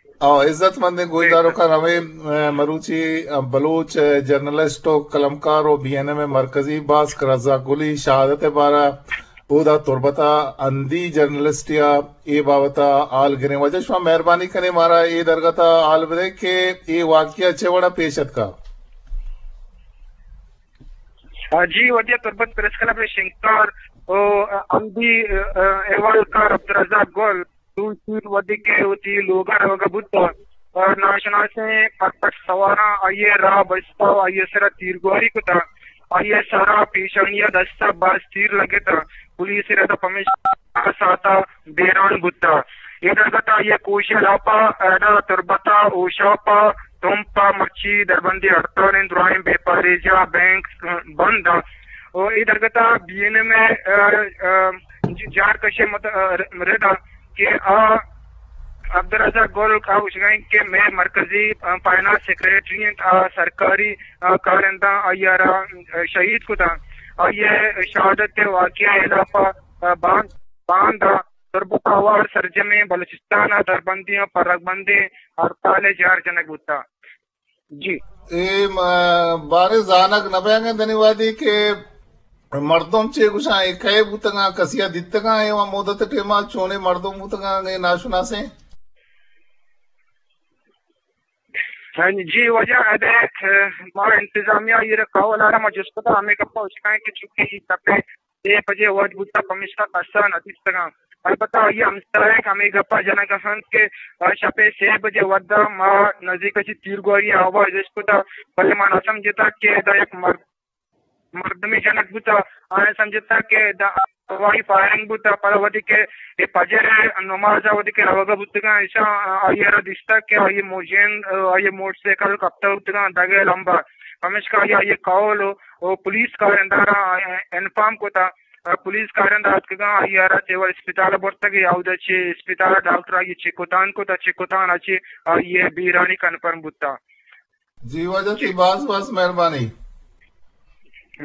او عزت مندیں گوشداروکاں، ہمے، ء، مروچی، ء، بلوچ، ء، جرنلسٹ و قلمکار و بی این ایم ء مرکزی باسک رزاق گلی شہادت ء بارہ اودا تربت ء ہندی جرنلسٹے ء اے بابت ء حال گریں۔ واجہ شما مہربانی کنیں مارا اے درگت ء حال بدئے کہ اے واقعہ چہ وڑ ء پیش اتکا؟ جی، واجہ تربت پریس کلب ء شنگکار و ہندی، ء، ء، احوالکار عبدالرزاق گل دوشی وھدے کہ وتی لوگ ء روگ ء بوت ء ناشناسیں پٹ پٹ سواراں آئی ء راہ بست ء آئی ء سر ء تیرگواری کت ء آئی ء سر ء پیشانی ء دست ء باز تیر لگت ء پولیس ء رد ء پمیشکا ساعت ء بیران بوت ء اے درگت ء آئی ء کوش ء لاپ ء اڈ ء تربت ء ہوشاپ ء تمپ ء مرچی دربندی ہڑتال انت، درائیں بیپاری جاہ بینک بند ء و اے درگت ء بی این ایم ء، ء، ء، جار کش ء مت-، ء، رد ء کہ آ عبدالرزاق گل آ گوشگ ء انت کہ مئے مرکزی، ء، فائنانس سیکرٹری انت، آ سرکاری، ء، کارنداں آئی ء را، ء، شہید کتاں۔ آئی ء شہادت ء واقعہ ء ہلاپ ء، ء، باند، باند ء تربت ء ہوار سرجمیں بلوچستان ء دربندی ء پرگ بندیں ہڑتال ء جار جنگ بوتگ۔ جی۔ اے م-، باریں زانگ نہ بیانگیں دنی وادی کہ مردم چے گوشاں، اے کئے بوتگاں، کسیا دیتگاں، اے وَ مدت ٹیما چونیں مردم بوتگاں، اے ناشناسیں؟ جی، واجہ ادے، ما انتظامیہ ایر کاول آرا ما جست کتا، ہمیں گپا اشکائیں کہ چونکہ اے تپے سے بجے وھد بوتگ، پمیشکا کسا نہ دیستگاں۔ البتہ آئی ء ہمساہگ ہمے گپ ء جنگ ء انت کہ شپ ء سے بجے وھد ء ما نزیک ء چہ تیرگواری ء آواز اشکتگ، بلے ما نہ سمجھتگ کہ ادا یک مرد، مردمے جنگ بوتگ۔ آیاں سمجھتگ کہ ادا ہوائی فائرنگ بوتگ۔ پدا وھدے کہ اے فجر ء نماز ء وھدے کہ روگ ء بوتگاں، ایشاں آئی ء را دیستگ کہ آئی ء موجین، آئی ء موٹر سائیکل کپتگ بوتگاں دگ ء لمب ء۔ پمیشکا آئی ء آئی ء کہول و و پولیس کارندہاں را انفارم کتا۔ پولیس کارندہ اتکگاں، آئی ء را سول اسپتال ء برتگ ء اودا چہ اسپتال ء ڈاکٹر آئی ء چیک کتان کتا، چیک کتان ء چہ آئی ء بیرانی کنفرم بوتا۔ جی واجہ تئی باز باز مہربانی۔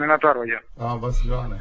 منتوار واجہ۔ ہاں بس جوان ہے۔